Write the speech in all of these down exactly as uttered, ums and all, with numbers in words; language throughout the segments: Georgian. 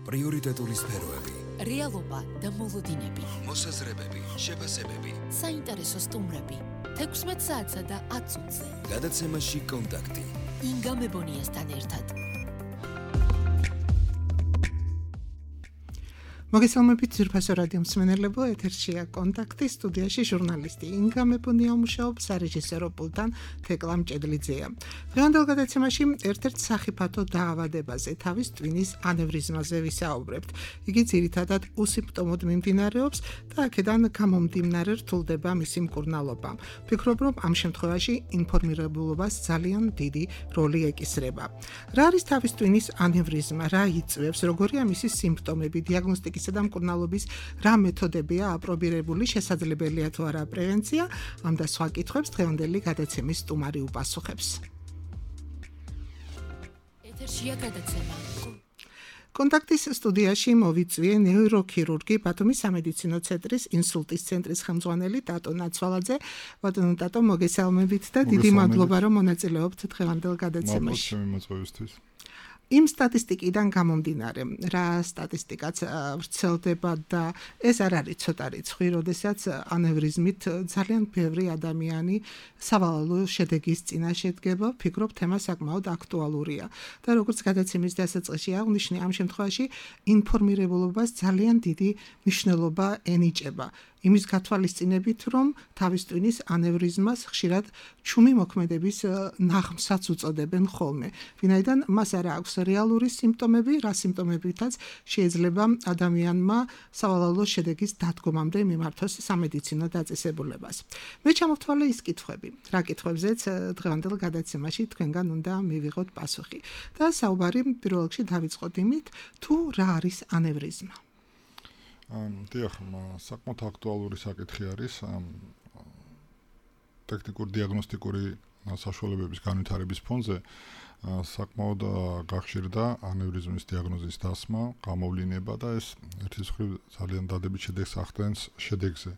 პრიორიტეტული სფეროები, რეალობა და მოლოდინები, მოსაზრებები, შეფასებები, საინტერესო სტუმრები, თექვსმეტ საათსა და ათ წუთზე. გადაცემაში კონტაქტი. ინგა მებონიასთან ერთად. მოგესალმებით ძვირფასო რადიო მსმენელებო, ეთერშია კონტაქტი, სტუდიაში ჟურნალისტი ინგა მებონია მუშაობს, სარეჟისორო პულტთან თეკლა მჭედლიძეა. დღევანდელ გადაცემაში ერთ-ერთ სახიფათო დაავადებაზე, თავის ტვინის ანევრიზმაზე ვისაუბრებთ. იგი ძირითადად უსიმპტომოდ მიმდინარეობს და აქედან გამომდინარე რთულდება მისი მკურნალობა. ვფიქრობ, რომ ამ შემთხვევაში ინფორმირებულობას ძალიან დიდი როლი ეკისრება. რა არის თავის ტვინის ანევრიზმა, რა იწვევს, როგორია მისი სიმპტომები, დიაგნოსტიკა და მკურნალობის რა მეთოდებია აპრობირებული, შესაძლებელია თუ არა პრევენცია, ამ და სხვა კითხვებს დღევანდელი გადაცემის სტუმარი უპასუხებს. ეთერშია გადაცემა. კონტაქტის სტუდიაში მოვიწვიე ნეიროქირურგი, ბათუმის სამედიცინო ცენტრის ინსულტის ცენტრის ხელმძღვანელი ტატო ნაცვალაძე. ბატონო ტატო, მოგესალმებით და დიდი მადლობა, რომ მონაწილეობთ დღევანდელ გადაცემაში. მოწვევისთვის. იმ სტატისტიკიდან გამომდინარე, რა სტატისტიკაც ვრცელდება და ეს არ არის ცოტა რიცხვი, როდესაც ანევრიზმით ძალიან ბევრი ადამიანი სავალალო შედეგის წინაშე დგება, ვფიქრობ, თემა საკმაოდ აქტუალურია და როგორც გადაცემის დასაწყისში აღვნიშნე, ამ შემთხვევაში ინფორმირებულობას ძალიან დიდი მნიშვნელობა ენიჭება. იმის გათვალისწინებით, რომ თავის ტვინის ანევრიზმას ხშირად ჩუმი მოქმედების ნაღმსაც უწოდებენ ხოლმე. ვინაიდან მას არ აქვს რეალური სიმპტომები, რა სიმპტომებითაც შეიძლება ადამიანმა სავალალო შედეგის დადგომამდე მიმართოს სამედიცინო დაწესებულებას. მე ჩამოვთვალე ის კითხვები, რა კითხვებზეც დღევანდელ გადაცემაში თქვენგან უნდა მივიღოთ პასუხი. და საუბარი პირველ რიგში დავიწყოთ იმით, თუ რა არის ანევრიზმა. დიახ, საკმაოდ აქტუალური საკითხი არის ტექნიკური დიაგნოსტიკური საშუალებების განვითარების ფონზე. საკმაოდ გახშირდა ანევრიზმის დიაგნოზის დასმა, გამოვლინება და ეს ერთის მხრივ ძალიან დადებით შედეგს ახდენს შედეგზე.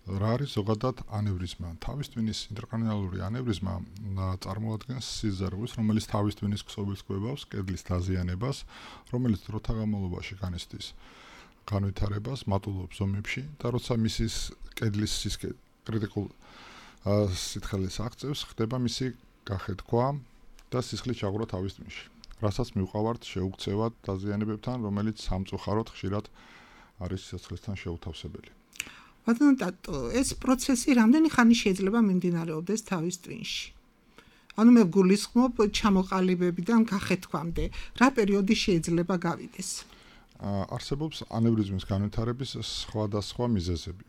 რა არის ზოგადად ანევრიზმა? თავის ტვინის ინტრაკრანიალური ანევრიზმა წარმოადგენს სიზარღვის, რომელიც თავის ტვინის ქსოვილს კვებავს, კედლის დაზიანებას, რომელიც დროთა განმავლობაში განიცდის განვითარებას მატულობს ზომებში და როცა მისის კედლის სისქე კრიტიკულ სითხელის აღწევს, ხდება მისი გახეთქვა და სისხლის ჩაღვრა თავის ტვინში, რასაც მივყავართ შეუქცევად დაზიანებებთან, რომელიც სამწუხაროდ ხშირად არის სისხლისთან შეუთავსებელი. ბატონო ტატო, ეს პროცესი რამდენი ხანი შეიძლება მიმდინარეობდეს თავის ტვინში? ანუ მე გულისხმობ ჩამოყალიბებიდან გახეთქვამდე, რა პერიოდი შეიძლება გავიდეს? არსებობს ანევრიზმის განვითარების სხვადასხვა მიზეზები.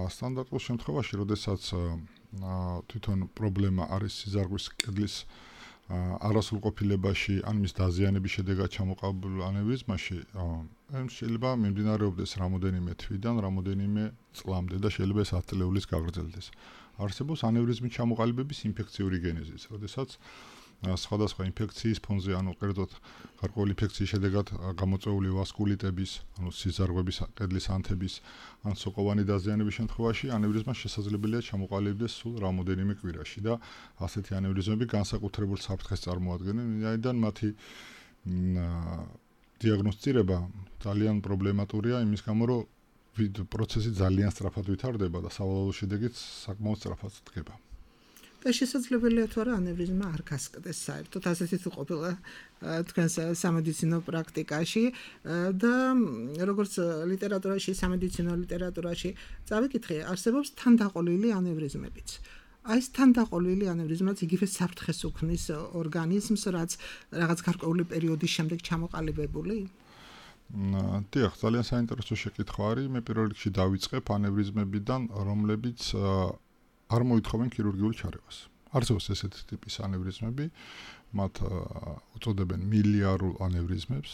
სტანდარტულ შემთხვევაში, როდესაც თვითონ პრობლემა არის სიზარღვის კედლის არასრულყოფილებაში, ან მის დაზიანების შედეგად ჩამოყალიბებულ ანევრიზმაში, შეიძლება მიმდინარეობდეს რამოდენიმე თვიდან, რამოდენიმე წლამდე და შეიძლება ეს ათი წლების გაგრძელდეს. არსებობს ანევრიზმის ჩამოყალიბების ინფექციური გენეზიც, როდესაც სხვადასხვა ინფექციის ფონზე, ანუ კერძოდ გარკვეული ინფექციის შედეგად გამოწვეული ვასკულიტების, ანუ სიზარღვების, კედლის ანთების, ან სოკოვანი დაზიანების შემთხვევაში ანევრიზმა შესაძლებელია ჩამოყალიბდეს სულ რამოდენიმე კვირაში და ასეთი ანევრიზმები განსაკუთრებულ საფრთხეს წარმოადგენენ, ვინაიდან მათი დიაგნოსტირება ძალიან პრობლემატურია, იმის გამო, რომ პროცესი ძალიან სწრაფად ვითარდება და სავალალო შედეგიც საკმაოდ სწრაფად დგება. და შესაძლებელია თუ არა ანევრიზმა არ გასკდეს საერთოდ, ასეთი თუ ყოფილა თქვენს სამედიცინო პრაქტიკაში და როგორც ლიტერატურაში, სამედიცინო ლიტერატურაში წავიკითხე, არსებობს თანდაყოლილი ანევრიზმებიც. აი ეს თანდაყოლილი ანევრიზმაც იგივე საფრთხეს უქმნის ორგანიზმს, რაც რაღაც გარკვეული პერიოდის შემდეგ ჩამოყალიბებული? დიახ, ძალიან საინტერესო შეკითხვა არის. მე პირველ რიგში დავიწყებ ანევრიზმებიდან, რომლებიც არ მოითხოვენ ქირურგიულ ჩარევას. არსებობს ესეთი ტიპის ანევრიზმები, მათ უწოდებენ მილიარულ ანევრიზმებს.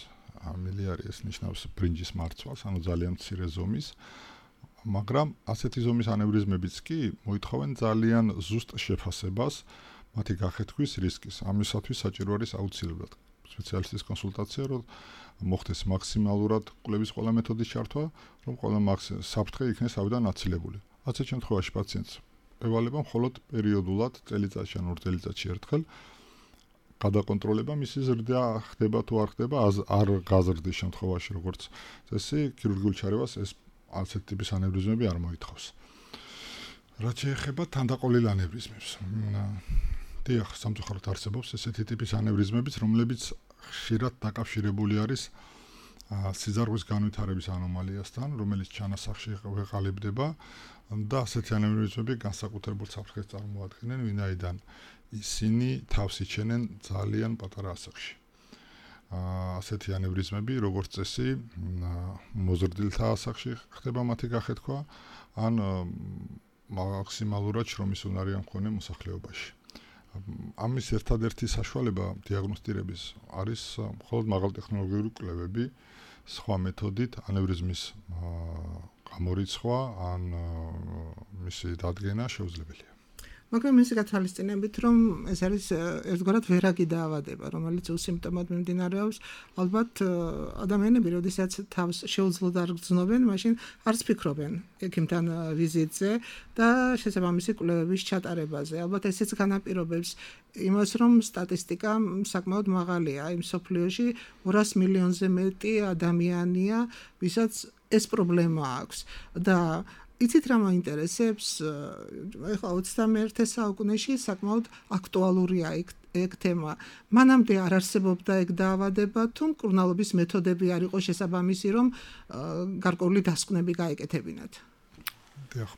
მილიარი ეს ნიშნავს ბრინჯის მარცვალს, ანუ ძალიან მცირე ზომის, მაგრამ ასეთი ზომის ანევრიზმებიც კი მოითხოვენ ძალიან ზუსტ შეფასებას, მათი გახეთქვის რისკის. ამისათვის საჭირო არის აუცილებლად სპეციალისტის კონსულტაცია, რომ მოხდეს მაქსიმალურად კვლევის ყველა მეთოდის ჩართვა, რომ ყველა საფრთხე იქნეს ავიდან აცილებული. ასეთ შემთხვევაში პაციენტს ევალება მხოლოდ პერიოდულად წელიწადში ან ორ წელიწადში ერთხელ გადაკონტროლება მისი ზრდა ხდება თუ არ ხდება, არ გაზრდის შემთხვევაში, როგორც წესი, ქირურგიულ ჩარევას ეს ასეთ ტიპის ანევრიზმები არ მოითხოვს. რაც შეეხება თანდაყოლილ ანევრიზმებს. დიახ, სამწუხაროდ არსებობს ესეთი ტიპის ანევრიზმებიც, რომლებიც ხშირად დაკავშირებული არის სიძარღვის განვითარების ანომალიასთან, რომელიც ჩანასახში ეყალიბდება და ასეთი ანევრიზმები განსაკუთრებულ საფრთხეს წარმოადგენენ, ვინაიდან ისინი თავს იჩენენ ძალიან პატარა ასაკში. ასეთი ანევრიზმები, როგორც წესი, მოზრდილთა ასაკში ხდება მათი გახეთქვა, ან მაქსიმალურად შრომის უნარი ამ მქონე მოსახლეობაში. ამის ერთადერთი საშუალება დიაგნოსტირების არის მხოლოდ მაღალტექნოლოგიური კვლევები, სხვა მეთოდით ანევრიზმის გამორიცხვა ან მისი დადგენა შეუძლებელია. მაგრამ ისე გათვალისწინებით, რომ ეს არის ერთგვარად ვერაგი დაავადება, რომელიც უსიმპტომოდ მიმდინარეობს, ალბათ ადამიანები, როდესაც თავს შეუძლოდ არ გრძნობენ, მაშინ არც ფიქრობენ ექიმთან ვიზიტზე და შესაბამისი კვლევების ჩატარებაზე. ალბათ ესეც განაპირობებს იმას, რომ სტატისტიკა საკმაოდ მაღალია. იმ სოფლიოში ორას მილიონზე მეტი ადამიანია, ვისაც ეს პრობლემა აქვს და იცით რა მაინტერესებს, ეხლა ოცდამეერთე საუკუნეში საკმაოდ აქტუალურია ეგ თემა. მანამდე არ არსებობდა ეგ დაავადება, თუ მკურნალობის მეთოდები არ იყო შესაბამისი, რომ გარკვეული დასკვნები გაეკეთებინათ. დიახ,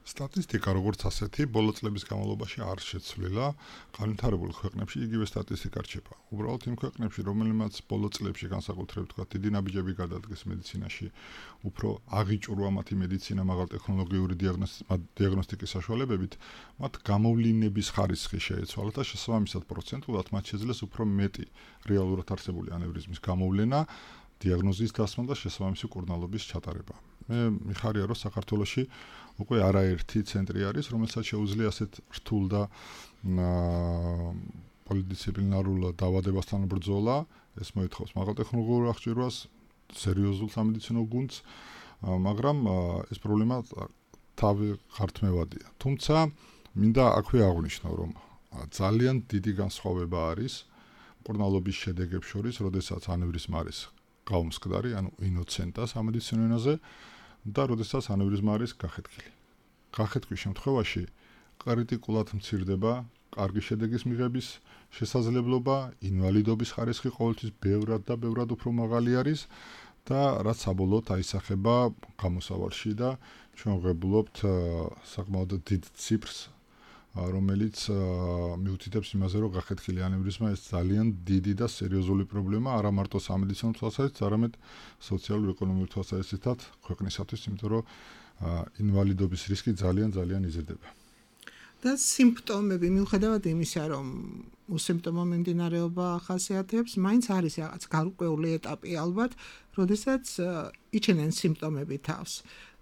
სტატისტიკა როგორც ასეთი ბოლო წლების განმავლობაში არ შეცვლილა, განვითარებულ ქვეყნებში იგივე სტატისტიკა რჩება. უბრალოდ იმ ქვეყნებში, რომელმაც ბოლო წლებში განსაკუთრებით თქვა, დიდი ნაბიჯები გადადგეს მედიცინაში, უფრო აღიჭურვა მათი მედიცინა მაღალტექნოლოგიური დიაგნოსტიკის საშუალებებით, მათ გამოვლინების ხარისხი შეეცვალა და შესაბამისად პროცენტულად მათ შეძლეს უფრო მეტი რეალურად არსებული ანევრიზმის გამოვლენა, დიაგნოზის დასმა და შესაბამისი მკურნალობის ჩატარება. მე მიხარია, რომ საქართველოში უკვე არაერთი ცენტრი არის, რომელსაც შეუძლია ასეთ რთულ და პოლიდისციპლინარულ დაავადებასთან ბრძოლა. ეს მოითხოვს მაღალტექნოლოგიურ აღჭურვას, სერიოზულ სამედიცინო გუნდს, მაგრამ ეს პრობლემა თავი ღართმევადია. თუმცა მინდა აქვე აღვნიშნო, რომ ძალიან დიდი განსხვავება არის მკურნალობის შედეგებს შორის, როდესაც ანევრიზმა არის გაუმსკდარი, ანუ ინოცენტა სამედიცინო ენაზე და როდესაც ანევრიზმა არის გახეთქილი. გახეთქვის შემთხვევაში კრიტიკულად მცირდება კარგი შედეგის მიღების შესაძლებლობა, ინვალიდობის ხარისხი ყოველთვის ბევრად და ბევრად უფრო მაღალი არის და რაც საბოლოოდ აისახება გამოსავალში და ჩვენ ვღებულობთ საკმაოდ დიდ ციფრს, რომელიც მიუთითებს იმაზე, რომ გახეთქილი ანევრიზმა ეს ძალიან დიდი და სერიოზული პრობლემა არა მარტო სამედიცინო თვალსაზრისით, არამედ სოციალურ-ეკონომიურ თვალსაზრისითაც ქვეყნისათვის, იმიტომ რომ ინვალიდობის რისკი ძალიან ძალიან იზრდება. და სიმპტომები, მიუხედავად იმისა, რომ უსიმპტომო მიმდინარეობა ახასიათებს, მაინც არის რაღაც გარკვეული ეტაპი ალბათ, როდესაც იჩენენ სიმპტომები თავს.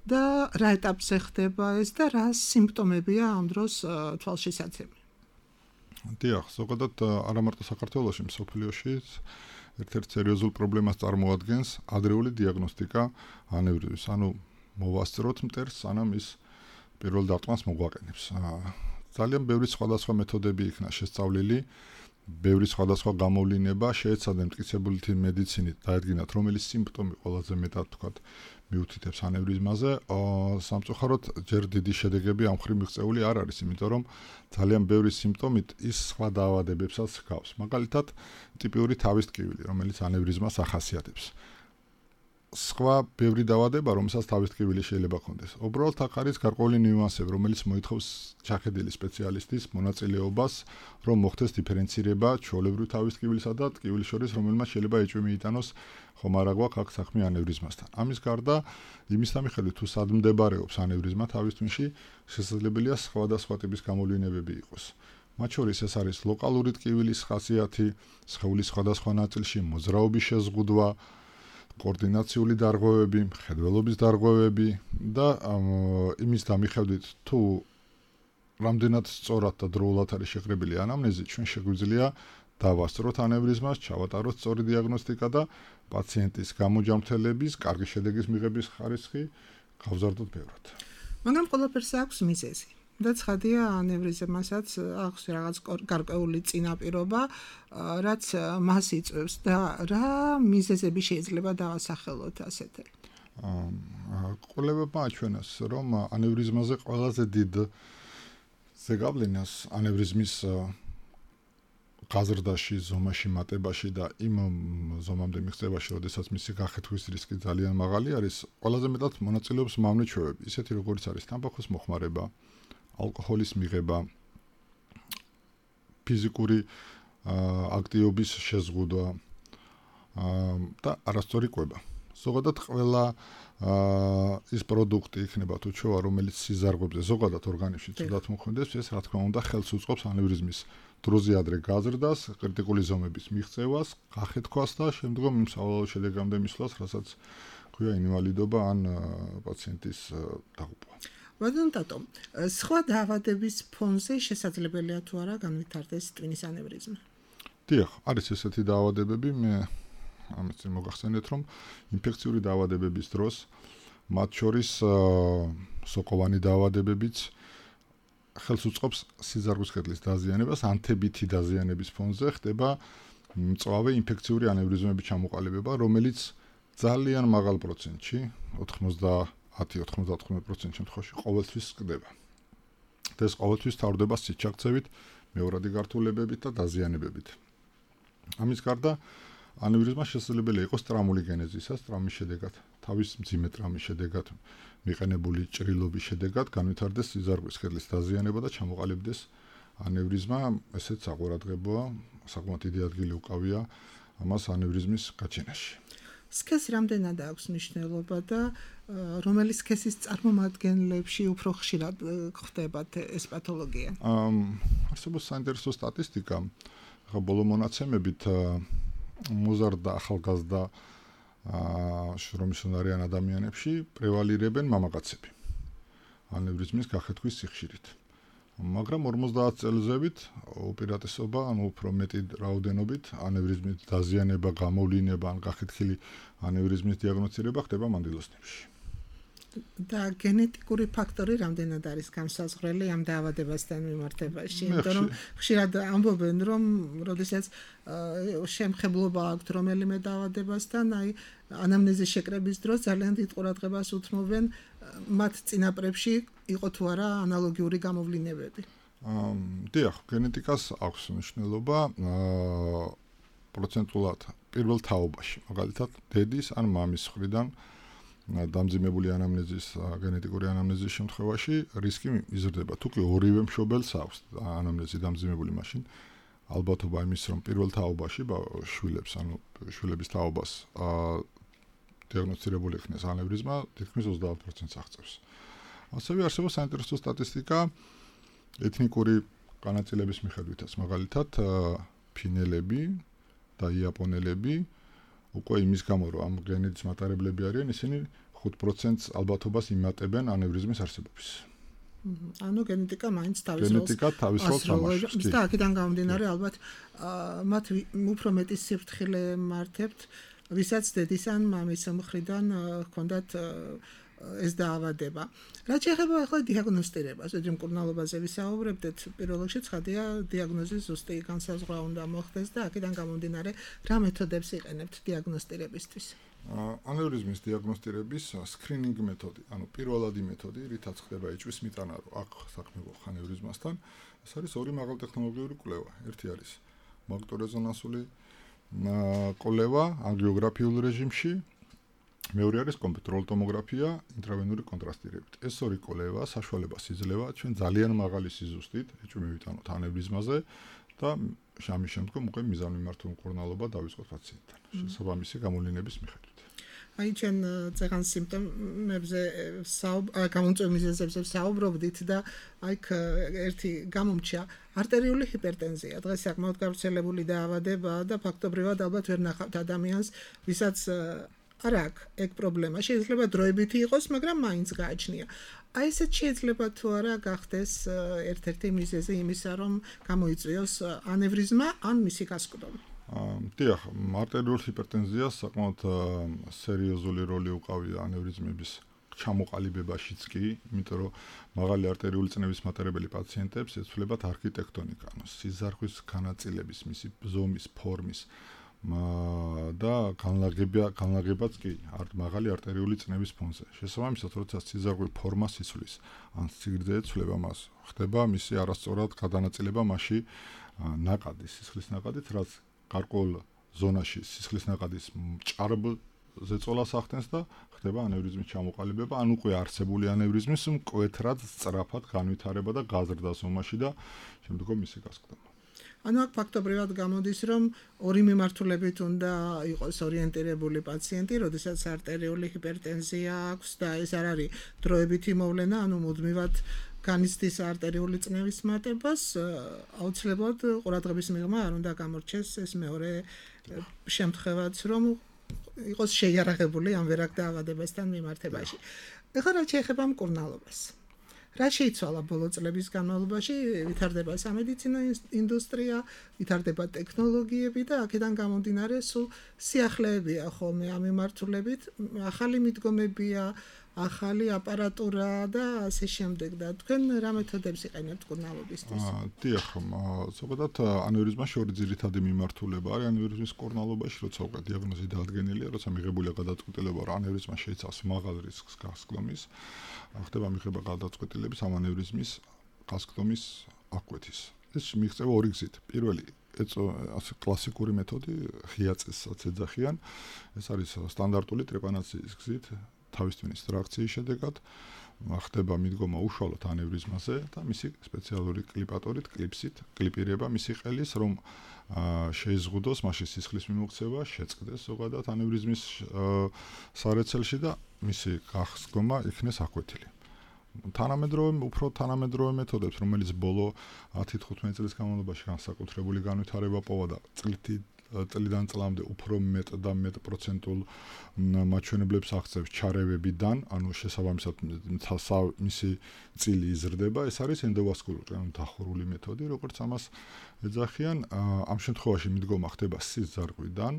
და რა ეტაპზე ხდება ეს და რა სიმპტომებია ამ დროს თვალშისაცემი? დიახ, ზოგადად არა მარტო საქართველოში, მსოფლიოშიც ერთ-ერთ სერიოზულ პრობლემას წარმოადგენს ადრეული დიაგნოსტიკა ანევრიზმის. ანუ მოვასწროთ მტერს, სანამ ის პირველ დარტყმას მოგვაყენებს. ძალიან ბევრი სხვადასხვა მეთოდები იქნა შესწავლილი, ბევრი სხვადასხვა გამოვლინება შეეცადა მტკიცებული მედიცინით დაედგინათ, რომელი სიმპტომი ყველაზე მეტად თქვათ მიუთითებს ანევრიზმაზე. სამწუხაროდ ჯერ დიდი შედეგები ამ მხრივ მიღწეული არ არის, იმიტომ რომ ძალიან ბევრი სიმპტომით ის სხვა დაავადებებსაც ჰგავს. მაგალითად, ტიპიური თავის ტკივილი, რომელიც ანევრიზმას ახასიათებს. სხვა ბევრი დაავადება, რომელსაც თავის ტკივილი შეიძლება ჰქონდეს. უბრალოდ აქ არის გარკვეული ნიუანსები, რომელიც მოითხოვს ჩახედილი სპეციალისტის მონაწილეობას, რომ მოხდეს დიფერენცირება ჩვეულებრივი თავის ტკივილისა და ტკივილის შორის, რომელმაც შეიძლება ეჭვი მიიტანოს ხომ არა გვაქვს აქ საქმე ანევრიზმასთან. ამის გარდა, იმის მიხედვით თუ სად მდებარეობს ანევრიზმა თავის თვინში, შესაძლებელია სხვადასხვა ტიპის გამოვლინებები იყოს. მათ შორის ეს არის ლოკალური ტკივილის ხასიათი, სხეულის სხვადასხვა ნაწილში მოძრაობის შეზღუდვა, კოორდინაციული დარღვევები, მხედველობის დარღვევები და იმის დამიხედვით თუ რამდენად სწორად და დროულად არის შეკრებილი ანამნეზი, ჩვენ შეგვიძლია დავასწროთ ანევრიზმას, ჩავატაროთ სწორი დიაგნოსტიკა და პაციენტის გამოჯამრთელების, კარგი შედეგის მიღების ხარისხი გავზარდოთ ბევრად. მაგრამ ყველაფერს აქვს მიზეზი. და ცხადია ანევრიზმასაც აქვს რაღაც გარკვეული წინაპირობა, რაც მას იწვევს და რა მიზეზები შეიძლება დავასახელოთ ასეთი. კვლევებმა აჩვენეს, რომ ანევრიზმაზე ყველაზე დიდ ზეგავლენას ანევრიზმის გაზრდაში, ზომაში, მატებაში და იმ ზომამდე მიღწევაში, როდესაც მისი გახეთქვის რისკი ძალიან მაღალი არის, ყველაზე მეტად მონაწილეობს მავნე ჩვევები, ისეთი როგორიც არის თამბაქოს მოხმარება, ალკოჰოლის მიღება, ფიზიკური აქტივობის შეზღუდვა და არასწორი კვება. ზოგადად ყველა ის პროდუქტი იქნება თუ ჩვევა, რომელიც სიზარღვებზე ზოგადად ორგანიზმში ცუდად მოქმედებს, ეს რა თქმა უნდა ხელს უწყობს ანევრიზმის დროზე ადრე გაზრდას, კრიტიკული ზომების მიღწევას, გახეთქვას და შემდგომ იმ სავალალო შედეგამდე მისვლას, რასაც ქვია ინვალიდობა ან პაციენტის დაღუპვა. ბატონო ტატო, სხვა დაავადების ფონზე შესაძლებელია თუ არა განვითარდეს ტვინის ანევრიზმა? დიახ, არის ესეთი დაავადებები, მე ამით მოგახსენეთ, რომ ინფექციური დაავადებების დროს, მათ შორის სოკოვანი დაავადებებიც ხელს უწყობს სიზარღვის კედლის დაზიანებას, ანთებითი დაზიანების ფონზე ხდება მწვავე ინფექციური ანევრიზმების ჩამოყალიბება, რომელიც ძალიან მაღალ პროცენტში, ოცდაათი ოცდათხმეტ პროცენტ შემთხვევაში ყოველთვის ხდება. და ეს ყოველთვის თავდება სიჩაქცევით, მეორადი გართულებებით და დაზიანებებით. ამის გარდა ანევრიზმა შესაძლებელია იყოს ტრამული გენეზისას, ტრამის შედეგად, თავის მძიმე ტრამის შედეგად, მიყენებული ჭრილობის შედეგად განვითარდეს სიზარღვის კედლის დაზიანება და ჩამოყალიბდეს ანევრიზმა, ესეც საყურადღებოა, საკმაოდ დიდი ადგილი უკავია ამას ანევრიზმის გაჩენაში. სქესი რამდენად აქვს მნიშვნელობა და რომელი სქესის წარმომადგენლებში უფრო ხშირად ხდება ეს პათოლოგია? არსებობს საინტერესო სტატისტიკა, ახლა ბოლო მონაცემებით მოზარდა ახალგაზრდა შრომისუნარიან ადამიანებში პრევალირებენ მამაკაცები ანევრიზმის გახეთქვის სიხშირით. მაგრამ ორმოცდაათ წელზევით უპირატესობა, ანუ უფრო მეტი რაოდენობით ანევრიზმის დაზიანება, გამოვლინება ან გახეთქილი ანევრიზმის დიაგნოსტირება ხდება მანდილოსნებში. და გენეტიკური ფაქტორი რამდენად არის განსაზღვრელი ამ დაავადებასთან მიმართებაში? იმიტომ რომ ხშირად ამბობენ, რომ როდესაც შემხებლობა აქვთ რომელიმე დაავადებასთან, აი ანამნეზის შეკრების დროს ძალიან დიდ ყურადღებას უთმობენ მათ წინაპრებში იყო თუ არა ანალოგიური გამოვლინებები. დიახ, გენეტიკას აქვს მნიშვნელობა პროცენტულად პირველ თაობაში, მაგალითად დედის ან მამის მხრიდან დამძიმებული ანამნეზის, გენეტიკური ანამნეზის შემთხვევაში რისკი იზრდება. თუ კი ორივე მშობელს აქვს ანამნეზი დამძიმებული, მაშინ ალბათობა იმის, რომ პირველ თაობაში შვილებს, ანუ შვილების თაობას დიაგნოსტირებული იქნეს ანევრიზმა, თითქმის ოცდაათ პროცენტს აღწევს. ასევე არსებობს საინტერესო სტატისტიკა ეთნიკური განაწილების მიხედვითაც, მაგალითად ფინელები და იაპონელები უკვე იმის გამო, რომ ამ გენეთის მატარებლები არიან, ისინი ხუთ პროცენტს ალბათობას იმატებენ ანევრიზმის არსებობის. ანუ გენეტიკა მაინც თავის როლს გენეტიკა თავის როლს თამაშობს. და აქედან გამომდინარე, ალბათ მათ უფრო მეტი სიფრთხილე მართებთ, ვისაც დედის ან მამის მხრიდან ჰქონდათ ეს დაავადება. რაც შეეხება ახლა დიაგნოსტირებას, ଯଦି მკურნალობაზე ვისაუბრებდეთ, პირველ რიგში ცხადია დიაგნოზის ზუსტი განსაზღვრა უნდა მოხდეს და აქედან გამომდინარე, რა მეთოდებს იყენებთ დიაგნოსტირებისთვის? ანევრიზმის დიაგნოსტირების სკრინინგ მეთოდი, ანუ პირველადი მეთოდი, რითაც ხდება ეჭვის მიტანა, რომ აქ საქმე გვაქვს ანევრიზმასთან, ეს არის ორი მაღალტექნოლოგიური კვლევა. ერთი არის მაგნიტორეზონანსული კვლევა ანგიოგრაფიულ რეჟიმში, მეორე არის კომპიუტერული ტომოგრაფია ინტრავენური კონტრასტირებით. ეს ორი კვლევა საშუალებას იძლევა ჩვენ ძალიან მაღალი სიზუსტით ეჭვი მივიტანოთ ანევრიზმაზე და ამის შემდგომ უკვე მიზანმიმართული მკურნალობა დავიწყოთ პაციენტთან, შესაბამისი გამოვლინების მიხედვით. აი ჩვენ წეგან სიმპტომებზე გამომწვევ მიზეზებზე საუბრობდით და აი ერთი გამომჩა არტერიული ჰიპერტენზია. დღეს საკმაოდ გავრცელებული დაავადებაა და ფაქტობრივად ალბათ ვერ ნახავთ ადამიანს, ვისაც არ აქვს ეგ პრობლემა. შეიძლება დროებითი იყოს, მაგრამ მაინც გააჩნია. აი ესეც შეიძლება თუ არა გახდეს ერთ-ერთი მიზეზი იმისა, რომ გამოიწვიოს ანევრიზმა ან მისი გასკვდომა. დიახ, არტერიული ჰიპერტენზია საკმაოდ სერიოზული როლი უკავია ანევრიზმების ჩამოყალიბებაშიც კი, იმიტომ რომ მაღალი არტერიული წნევის მატარებელი პაციენტებს ეცვლებათ არქიტექტონიკა, ანუ სიზარხვის განაწილების, მისი ზომის, ფორმის და განლაგება განლაგებაც კი მაღალი არტერიული წნევის ფონზე. შესაბამისად, როცა სიზარღვი ფორმას იცვლის, ან სიგრძე ეცვლება მას, ხდება მისი არასწორად გადანაწილება მასში ნაკადის, სისხლის ნაკადით, რაც გარკვეულ ზონაში სისხლის ნაკადის ჭარბ ზეწოლას ახდენს და ხდება ანევრიზმის ჩამოყალიბება, ან უკვე არსებული ანევრიზმის მკვეთრად სწრაფად განვითარება და გაზრდა ზომაში და შემდგომ მისი გასკდება. ანუ აქ ფაქტობრივად გამოდის, რომ ორი მიმართულებით უნდა იყოს ორიენტირებული პაციენტი, როდესაც არტერიული ჰიპერტენზია აქვს და ეს არ არის დროებითი მოვლენა, ანუ მუდმივად განიცდის არტერიული წნევის მატებას, აუცილებლად ყურადღების მიღმა არ უნდა გამორჩეს ეს მეორე შემთხვევაც, რომ იყოს შეიარაღებული ამ ვერაგ დაავადებასთან მიმართებაში. ეხლა რაც შეეხება მკურნალობას. რა შეიცვალა ბოლო წლების განმავლობაში, ვითარდება სამედიცინო ინდუსტრია, ვითარდება ტექნოლოგიები და აქედან გამომდინარე სულ სიახლეებია ხოლმე ამ მიმართულებით, ახალი მიდგომებია, ახალი აპარატურა და ასე შემდეგ და თქვენ რა მეთოდებს იყენებთ მკურნალობისთვის? დიახ, ზოგადად ანევრიზმაში ორი ძირითადი მიმართულება არის ანევრიზმის მკურნალობაში, როცა უკვე დიაგნოზი დაადგენილია, როცა მიღებულია გადაწყვეტილება, რომ ანევრიზმა შეიცავს მაღალ რისკს გასკდომის, ხდება მიღება გადაწყვეტილების ამ ანევრიზმის გასკდომის აღკვეთის. ეს მიღწევა ორი გზით. პირველი ეს კლასიკური მეთოდი ღია წესსაც ეძახიან. ეს არის სტანდარტული ტრეპანაციის გზით. თავისთავის ტრაქციის შედეგად ხდება მიდგომა უშუალოდ ანევრიზმაზე და მისი სპეციალური კლიპატორით, კლიპსით კლიპირება მისი ყელის, რომ შეიზღუდოს მასში სისხლის მიმოქცევა, შეწყდეს ზოგადად ანევრიზმის სარეცელში და მისი გასკდომა იქნეს აკვეთილი. თანამედროვე, უფრო თანამედროვე მეთოდებს, რომელიც ბოლო ათი თხუთმეტი წლის განმავლობაში განსაკუთრებული განვითარება პოვა და წლით წლიდან წლამდე უფრო მეტ და მეტ პროცენტულ მაჩვენებლებს აღწევს ჩარევებიდან, ანუ შესაბამისად მისი წილი იზრდება, ეს არის ენდოვასკულური, ანუ დახურული მეთოდი, როგორც ამას ეძახიან. ამ შემთხვევაში მიდგომა ხდება სიზარღვიდან,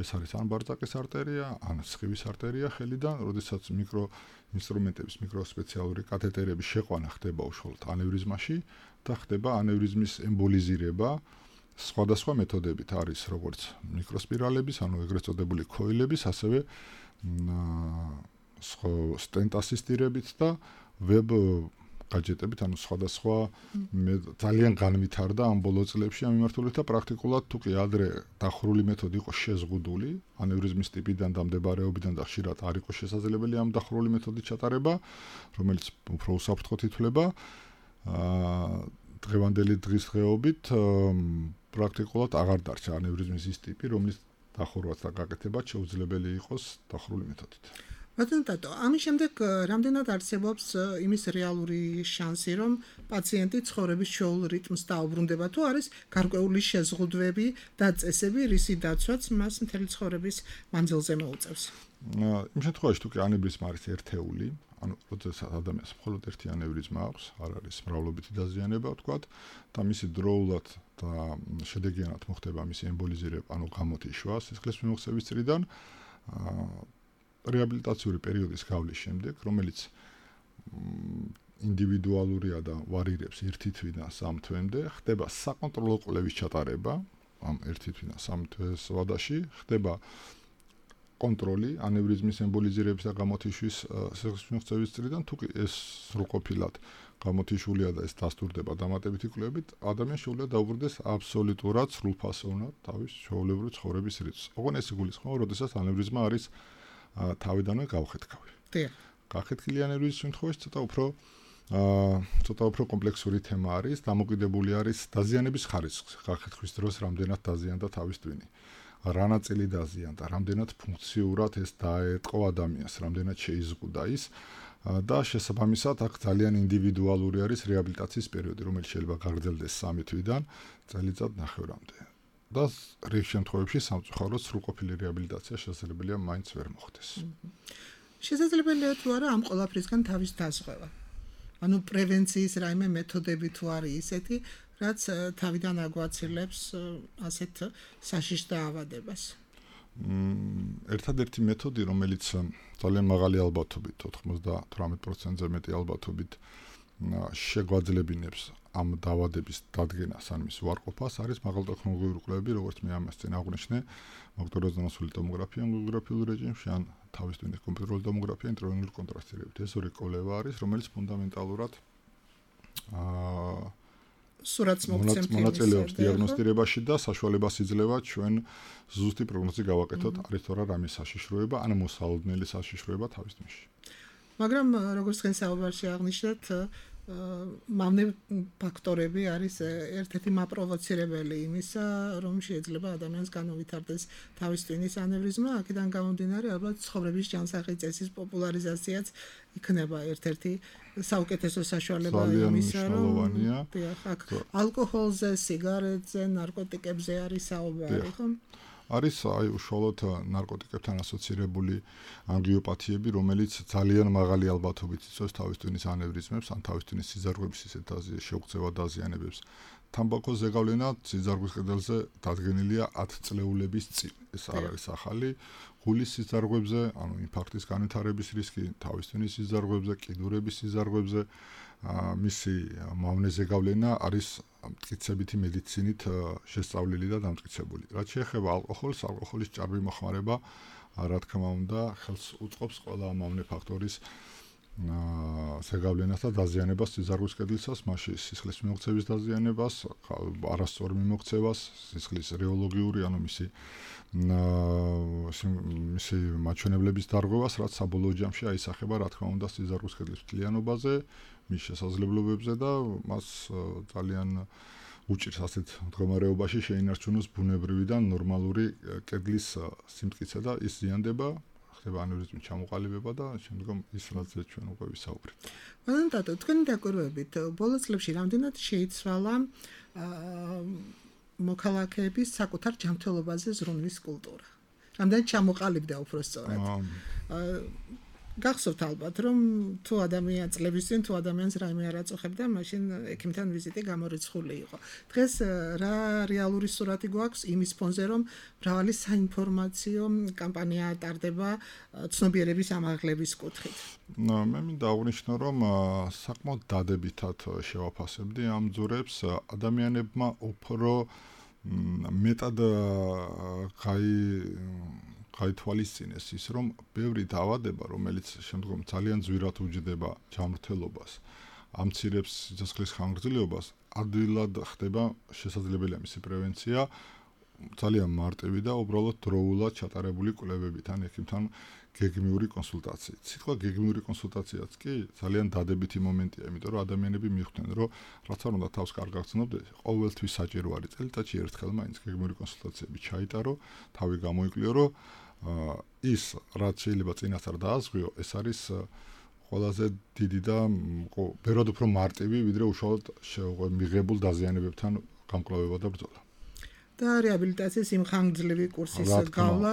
ეს არის ან ბარწაკის არტერია, ან სხივის არტერია ხელიდან, როდესაც მიკრო ინსტრუმენტების, მიკროსპეციალური კათეტერების შეყვანა ხდება უშუალოდ ანევრიზმაში და ხდება ანევრიზმის ემბოლიზირება. სხვადასხვა მეთოდებით არის როგორც მიკროსპირალების, ანუ ეგრეთ წოდებული ქოილების, ასევე სტენტ ასისტირებით და ვებ გაჯეტებით, ანუ სხვადასხვა ძალიან განვითარდა ამ ბოლო წლებში ამ მიმართულებით და პრაქტიკულად თუ კი ადრე დახურული მეთოდი იყო შეზღუდული, ანევრიზმის ტიპიდან და მდებარეობიდან და ხშირად არ იყო შესაძლებელი ამ დახურული მეთოდით ჩატარება, რომელიც უფრო უსაფრთხოდ ითვლება. დღევანდელი დღესდღეობით პრაქტიკულად აღარ დარჩა ანევრიზმის ის ტიპი, რომლის დახურვაც და გაკეთებაც შეუძლებელი იყოს დახურული მეთოდით. ბატონო ტატო, ამის შემდეგ რამდენად არსებობს იმის რეალური შანსი, რომ პაციენტი ცხოვრების ჩვეულ რიტმს დაუბრუნდება, თუ არის გარკვეული შეზღუდვები და წესები, რისი დაცვაც მას მთელი ცხოვრების მანძილზე მოუწევს? იმ შემთხვევაში თუ კი ანევრიზმა არის ერთეული, ანუ როდესაც ადამიანს მხოლოდ ერთი ანევრიზმა აქვს, არ არის მრავლობითი დაზიანება, ვთქვათ, და მისი დროულად და შედეგიანად მოხდება მისი ემბოლიზირება, ანუ გამოთიშვა სისხლის მიმოქცევის წრიდან, რეაბილიტაციური პერიოდის გავლის შემდეგ, რომელიც ინდივიდუალურია და ვარირებს ერთი თვიდან სამ თვემდე, ხდება საკონტროლო კვლევის ჩატარება, ამ ერთი თვიდან სამ თვეს ვადაში, ხდება კონტროლი ანევრიზმის ემბოლიზირების და გამოთიშვის სისხლის მიმოქცევის წრიდან, თუ კი ეს სრულყოფილად გამოთიშულია და ეს დასტურდება დამატებითი კვლევებით, ადამიანს შეუძლია დაუბრუნდეს აბსოლუტურად სრულფასოვნად თავის ჩვეულებრივი ცხოვრების რიტმს. ოღონდ ეს იგულისხმება, როდესაც ანევრიზმა არის თავიდანვე გავხეთქავი. დიახ. გახეთქილი ანევრიზმის შემთხვევაში ცოტა უფრო ცოტა უფრო კომპლექსური თემა არის, დამოკიდებული არის დაზიანების ხარისხზე. გახეთქვის დროს რამდენად დაზიანდა თავის ტვინი. რა ნაწილი დაზიანდა, რამდენად ფუნქციურად ეს დაეტყო ადამიანს, რამდენად შეიზღუდა ის და შესაბამისად აქ ძალიან ინდივიდუალური არის რეაბილიტაციის პერიოდი, რომელიც შეიძლება გაგრძელდეს სამი თვიდან წელიწად ნახევრამდე. და რიგ შემთხვევებში სამწუხაროდ სრულყოფილი რეაბილიტაცია შესაძლებელია მაინც ვერ მოხდეს. შესაძლებელია თუ არა ამ ყველაფრისგან თავის დაზღვევა. ანუ პრევენციის რაიმე მეთოდები თუ არის ისეთი, რაც თავიდან აგვაცილებს ასეთ საშიშ დაავადებას. ერთადერთი მეთოდი, რომელიც ძალიან მაღალი ალბათობით, ოთხმოცდაოთხ პროცენტზე მეტი ალბათობით შეგვაძლებინებს ამ დაავადების დადგენას ან მის უარყოფას, არის მაღალტექნოლოგიური კვლევები, როგორც მე ამას წინ აღვნიშნე, მაგნიტურიზმოსული ტომოგრაფია ანგიოგრაფიულ რეჟიმში, ან თავის ტვინის კომპიუტერული ტომოგრაფია ინტრაორალური კონტრასტირებით. ეს ორი კვლევა არის, რომელიც ფუნდამენტალურად აა სურათს მოგცემთ მონაწილეობს დიაგნოსტირებაში და საშუალებას იძლევა ჩვენ ზუსტი პროგნოზი გავაკეთოთ, არის თუ არა რამე საშიშროება, ან მოსალოდნელი საშიშროება თავის ტვინში. მაგრამ როგორც თქვენ საუბარში აღნიშნეთ, მავნე ფაქტორები არის ერთ-ერთი მაპროვოცირებელი იმისა, რომ შეიძლება ადამიანს განუვითარდეს თავის ტვინის ანევრიზმა, აქედან გამომდინარე, ალბათ ცხოვრების ჯანსაღი წესის პოპულარიზაციაც იქნება ერთ-ერთი საუკეთესო საშუალება იმისა, რომ აქ ალკოჰოლზე, სიგარეტზე, ნარკოტიკებზე არის საუბარი, ხო? არის აი უშუალოდ ნარკოტიკებთან ასოცირებული ანგიოპათიები, რომელიც ძალიან მაღალი ალბათობით იწვევს თავის ტვინის ანევრიზმებს, ან თავის ტვინის სიზარღვების ისეთ შეუღწევა დაზიანებებს. თამბაქოს ზეგავლენა სიზარღვის კედელზე დადგენილია ათი წლეულების წინ. ეს არ არის ახალი. გულის სიზარღვებზე, ანუ ინფარქტის განვითარების რისკი, თავის ტვინის სიზარღვებზე, კიდურების სიზარღვებზე, მისი მავნე ზეგავლენა არის მტკიცებითი მედიცინით შესწავლილი და დამტკიცებული. რაც შეეხება ალკოჰოლს, ალკოჰოლის ჭარბი მოხმარება, რა თქმა უნდა, ხელს უწყობს ყველა მავნე ფაქტორის ზეგავლენას და დაზიანებას სიზარღვის კედლისას, მასში სისხლის მიმოქცევის დაზიანებას, არასწორ მიმოქცევას, სისხლის რეოლოგიური, ანუ მისი მისი მაჩვენებლების დარღვევას, რაც საბოლოო ჯამში აისახება, რა თქმა უნდა, სიზარღვის კედლის მთლიანობაზე, მის შესაძლებლობებზე და მას ძალიან უჭირს ასეთ მდგომარეობაში შეინარჩუნოს ბუნებრივი და ნორმალური კედლის სიმტკიცე და ის ზიანდება, ხდება ანევრიზმის ჩამოყალიბება და შემდგომ ის რაზეც ჩვენ უკვე ვისაუბრეთ. მაგრამ დათო, თქვენი დაკვირვებით ბოლო წლებში რამდენად შეიცვალა მოქალაქეების საკუთარ ჯანმრთელობაზე ზრუნვის კულტურა? რამდენად ჩამოყალიბდა უფრო სწორად? გახსოვთ ალბათ, რომ თუ ადამიან წლების წინ თუ ადამიანს რაიმე არ აწუხებდა, მაშინ ექიმთან ვიზიტი გამორიცხული იყო. დღეს რა რეალური სურათი გვაქვს იმის ფონზე, რომ მრავალი საინფორმაციო კამპანია ტარდება ცნობიერების ამაღლების კუთხით. ნუ მე მინდა აღვნიშნო, რომ საკმაოდ დადებითად შევაფასებდი ამ ძურებს, ადამიანებმა უფრო მეტად გაი გაითვალისწინეს ის, რომ ბევრი დაავადება, რომელიც შემდგომ ძალიან ძვირად უჯდება ჯანმრთელობას, ამცირებს სიცოცხლის ხანგრძლივობას, ადვილად ხდება შესაძლებელია მისი პრევენცია, ძალიან მარტივი და უბრალოდ დროულად ჩატარებული კვლევებით ან ექიმთან გეგმიური კონსულტაციით. სიტყვა გეგმიური კონსულტაციაც კი ძალიან დადებითი მომენტია, იმიტომ რომ ადამიანები მიხვდნენ, რომ რაც არ უნდა თავს კარგ გახსნობდეს, ყოველთვის საჭირო არის წელიწადში ერთხელ მაინც გეგმიური კონსულტაციები ჩაიტარო, თავი გამოიკვლიო, რომ ის რაც შეიძლება წინასწარ დაასწრიო, ეს არის ყველაზე დიდი და ბევრად უფრო მარტივი, ვიდრე უშუალოდ მიღებულ დაზიანებებთან გამკლავება და ბრძოლა. და რეაბილიტაციის იმ ხანგრძლივი კურსის გავლა,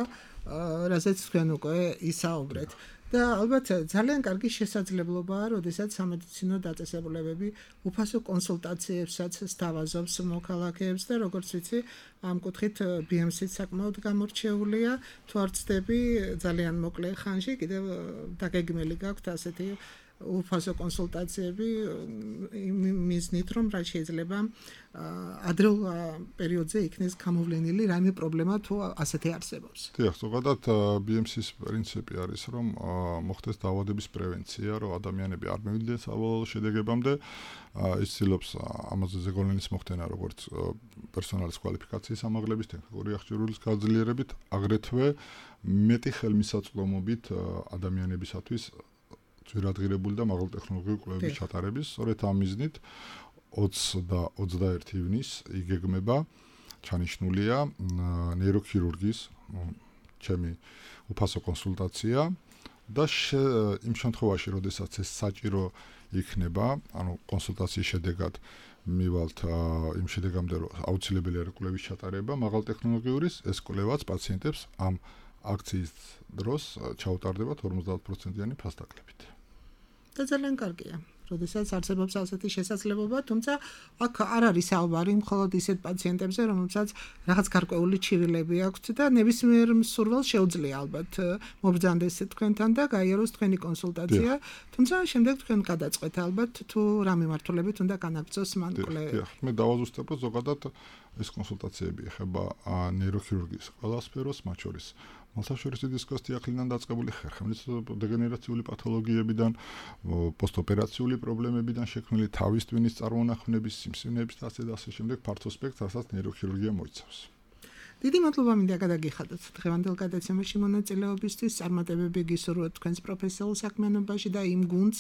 რასაც თქვენ უკვე ისაუბრეთ. და ალბათ ძალიან კარგი შესაძლებლობაა, როდესაც სამედიცინო დაწესებულებები უფასო კონსულტაციებსაც სთავაზობს მოქალაქეებს და როგორც ვიცი, ამ კუთხით ბი ემ სი საკმაოდ გამორჩეულია, თუ არ ვცდები ძალიან მოკლე ხანში კიდევ დაგეგმილი გაქვთ ასეთი უფასო კონსულტაციები მიზნით, რომ რა შეიძლება ადრეულ პერიოდზე იქნეს გამოვლენილი რაიმე პრობლემა თუ ასეთი არსებობს. დიახ, ზოგადად ბი ემ სის პრინციპი არის, რომ მოხდეს დაავადების პრევენცია, რომ ადამიანები არ მივიდნენ საბოლოო შედეგებამდე, ის ცდილობს ამაზე ზეგავლენის მოხდენა, როგორც პერსონალის კვალიფიკაციის ამაღლების, ტექნიკური აღჭურვილის გაძლიერებით, აგრეთვე მეტი ხელმისაწვდომობით ადამიანებისათვის ძვირადღირებული და მაღალტექნოლოგიური კვლევების ჩატარების, სწორედ ამ მიზნით ოცი და ოცდაერთი ივნის იგეგმება, ჩანიშნულია ნეიროქირურგის ჩემი უფასო კონსულტაცია და იმ შემთხვევაში, როდესაც ეს საჭირო იქნება, ანუ კონსულტაციის შედეგად მივალთ იმ შედეგამდე, რომ აუცილებელია კვლევის ჩატარება მაღალტექნოლოგიურის, ეს კვლევაც პაციენტებს ამ აქციის დროს ჩაუტარდება ორმოცდაოთხ პროცენტიანი ფასდაკლებით. და ძალიან კარგია, როდესაც არსებობს ასეთი შესაძლებლობა, თუმცა აქ არ არის საუბარი მხოლოდ ისეთ პაციენტებზე, რომელსაც რაღაც გარკვეული ჩივილები აქვთ და ნებისმიერ მსურველს შეუძლია ალბათ მობრძანდეს თქვენთან და გაიაროს თქვენი კონსულტაცია, თუმცა შემდეგ თქვენ გადაწყვეტ ალბათ თუ რა მიმართულებით უნდა განაგრძოს მან კვლევა. მე დავაზუსტებ, რომ ზოგადად ეს კონსულტაციები ეხება ნეიროქირურგიის ყველა სფეროს, მათ შორის მალსაშორისი დისკოს დიაგნოზიდან დაწყებული ხერხემლისწვდომის დეგენერაციული პათოლოგიებიდან, პოსტოპერაციული პრობლემებიდან შექმნილი თავის ტვინის წარმონახვნების, სიმსივნეების და ასე და ასე შემდეგ ფართო სპექტრს, რასაც ნეიროქირურგია მოიცავს. დიდი მადლობა მინდა გადაგიხადოთ დღევანდელ გადაცემაში მონაწილეობისთვის, წარმატებები გისურვოთ თქვენს პროფესიულ საქმიანობაში და იმ გუნდს,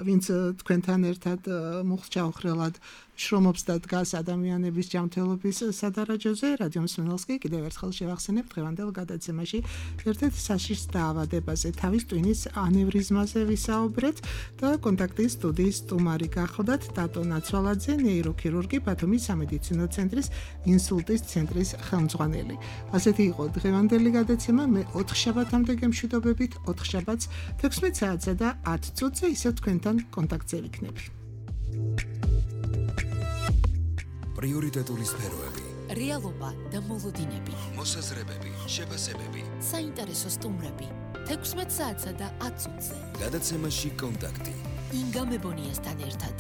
ვინც თქვენთან ერთად მუხლ-ჩაუხრელად შრომობს და დგას ადამიანების ჯანმრთელობის სადარაჯოზე. რადიო მსმენელს კი კიდევ ერთხელ შევახსენებ დღევანდელ გადაცემაში ერთ-ერთ საშიშ დაავადებაზე, თავის ტვინის ანევრიზმაზე ვისაუბრეთ და კონტაქტის სტუდიის სტუმარი გახლდათ დატო ნაცვალაძე, ნეიროქირურგი, ბათუმის სამედიცინო ცენტრის ინსულტის ცენტრის ხელმძღვანელი. ასეთი იყო დღევანდელი გადაცემა. მე ოთხ შაბათამდე გემშვიდობებით, ოთხ შაბათს თექვსმეტ საათსა და ათ წუთზე ისევ თქვენთან კონტაქტზე ვიქნები. პრიორიტეტული სფეროები, რეალობა და მოლოდინები, მოსაზრებები, შეფასებები, საინტერესო სტუმრები, თექვსმეტ საათსა და ათ წუთზე. გადაცემაში კონტაქტი. ინგა მებონიასთან ერთად.